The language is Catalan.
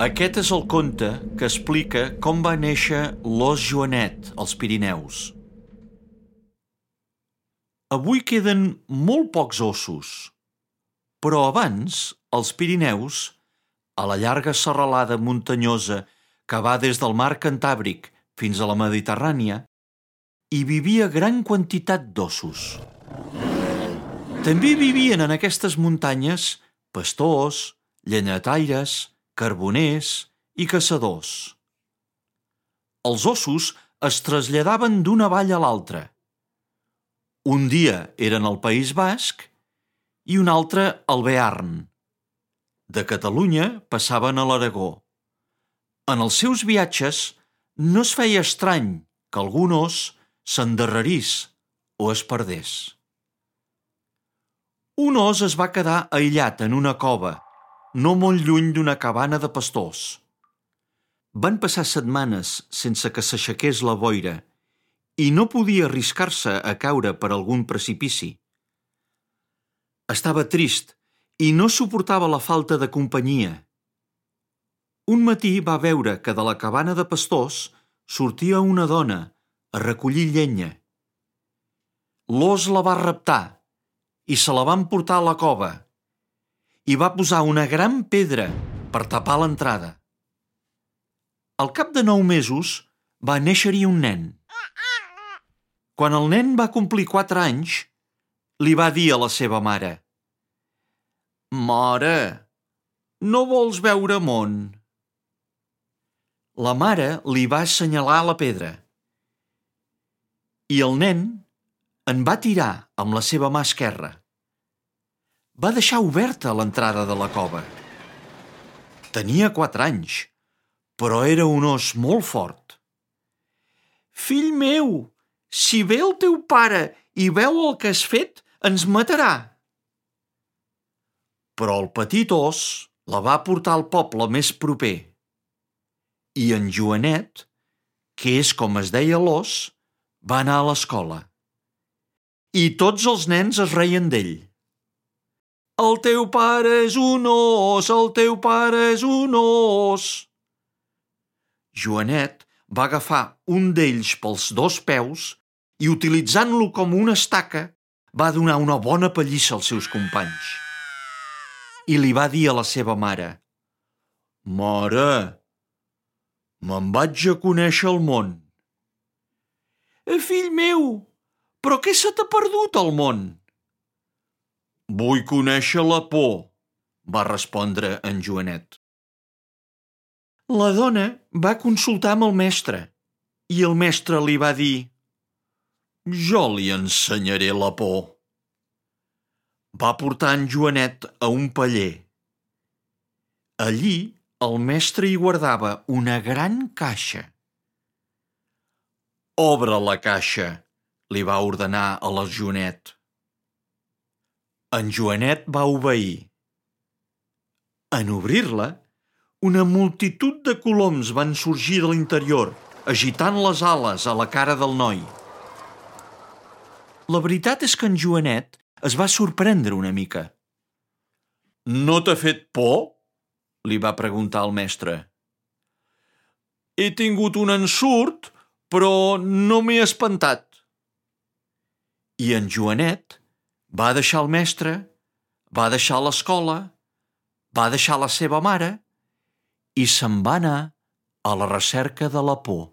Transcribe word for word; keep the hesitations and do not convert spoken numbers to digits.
Aquest és el conte que explica com va néixer l'ós Joanet als Pirineus. Avui queden molt pocs ossos, però abans, als Pirineus, a la llarga serralada muntanyosa que va des del mar Cantàbric fins a la Mediterrània, hi vivia gran quantitat d'ossos. També vivien en aquestes muntanyes pastors, llenyataires, carboners i caçadors. Els ossos es traslladaven d'una vall a l'altra. Un dia eren al País Basc i un altre al Bearn. De Catalunya passaven a l'Aragó. En els seus viatges no es feia estrany que algun os s'endarrerís o es perdés. Un os es va quedar aïllat en una cova, no molt lluny d'una cabana de pastors. Van passar setmanes sense que s'aixequés la boira i no podia arriscar-se a caure per algun precipici. Estava trist i no suportava la falta de companyia. Un matí va veure que de la cabana de pastors sortia una dona a recollir llenya. L'os la va raptar i se la van portar a la cova i va posar una gran pedra per tapar l'entrada. Al cap de nou mesos va néixer-hi un nen. Quan el nen va complir quatre anys, li va dir a la seva mare: «Mare, no vols veure món?» La mare li va assenyalar la pedra i el nen en va tirar amb la seva mà esquerra. Va deixar oberta l'entrada de la cova. Tenia quatre anys, però era un os molt fort. «Fill meu, si ve el teu pare i veu el que has fet, ens matarà!» Però el petit os la va portar al poble més proper i en Joanet, que és com es deia l'os, va anar a l'escola. I tots els nens es reien d'ell. «El teu pare és un os, el teu pare és un os!» Joanet va agafar un d'ells pels dos peus i, utilitzant-lo com una estaca, va donar una bona pallissa als seus companys. I li va dir a la seva mare: «Mare, me'n vaig a conèixer el món». «Fill meu, però què se t'ha perdut al món?» «Vull conèixer la por», va respondre en Joanet. La dona va consultar amb el mestre i el mestre li va dir: «Jo li ensenyaré la por». Va portar en Joanet a un paller. Allí el mestre hi guardava una gran caixa. «Obre la caixa», li va ordenar a la Joanet. En Joanet va obeir. En obrir-la, una multitud de coloms van sorgir de l'interior, agitant les ales a la cara del noi. La veritat és que en Joanet es va sorprendre una mica. «No t'ha fet por?» li va preguntar el mestre. «He tingut un ensurt, però no m'he espantat». I en Joanet va deixar el mestre, va deixar l'escola, va deixar la seva mare i se'n va anar a la recerca de la por.